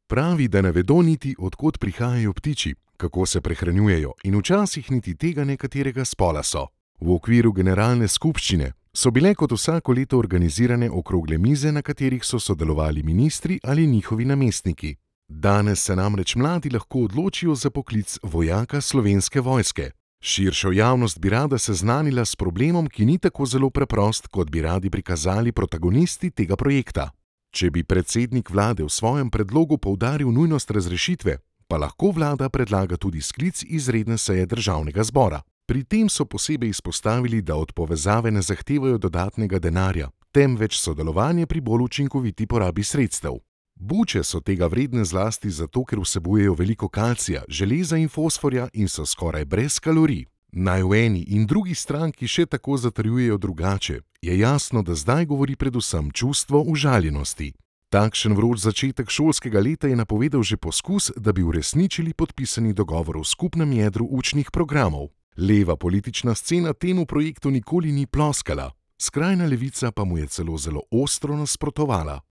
Pravi, da ne vedo niti, od kod prihajajo ptiči, kako se prehranjujejo in včasih niti tega ne, katerega spola so. V okviru generalne skupščine so bile kot vsako leto organizirane okrogle mize, na katerih so sodelovali ministri ali njihovi namestniki. Danes se namreč mladi lahko odločijo za poklic vojaka Slovenske vojske. Širšo javnost bi rada seznanila s problemom, ki ni tako zelo preprost, kot bi radi prikazali protagonisti tega projekta. Če bi predsednik vlade v svojem predlogu poudaril nujnost razrešitve, pa lahko vlada predlaga tudi sklic izredne seje državnega zbora. Pri tem so posebej izpostavili, da od povezave ne zahtevajo dodatnega denarja, temveč sodelovanje pri bolj učinkoviti porabi sredstev. Buče so tega vredne zlasti zato, ker vsebujejo veliko kalcija, železa in fosforja in so skoraj brez kalorij. Naj v eni in drugi stranki še tako zatrjujejo drugače, je jasno, da zdaj govori predvsem čustvo užaljenosti. Takšen vroč začetek šolskega leta je napovedal že poskus, da bi uresničili podpisani dogovor v skupnem jedru učnih programov. Leva politična scena temu projektu nikoli ni ploskala, skrajna levica pa mu je celo zelo ostro nasprotovala.